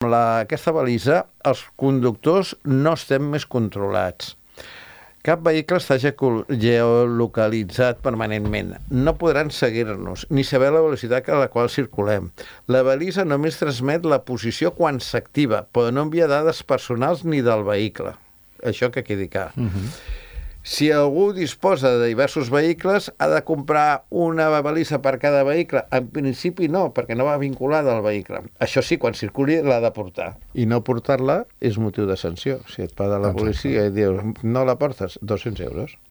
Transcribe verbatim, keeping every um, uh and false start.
La, aquesta balisa, els conductors no estem més controlats. Cap vehicle està geolocalitzat permanentment. No podran seguir-nos, ni saber la velocitat a la qual circulem. La balisa només transmet la posició quan s'activa, però no envia dades personals ni del vehicle. Això que quedi clar. Uh-huh. Si algú disposa de diversos vehicles, ha de comprar una balisa per cada vehicle. En principi no, perquè no va vinculada al vehicle. Això sí, quan circuli l'ha de portar. I no portar-la és motiu de sanció. Si et paga la policia i dius, no la portes, dos-cents euros.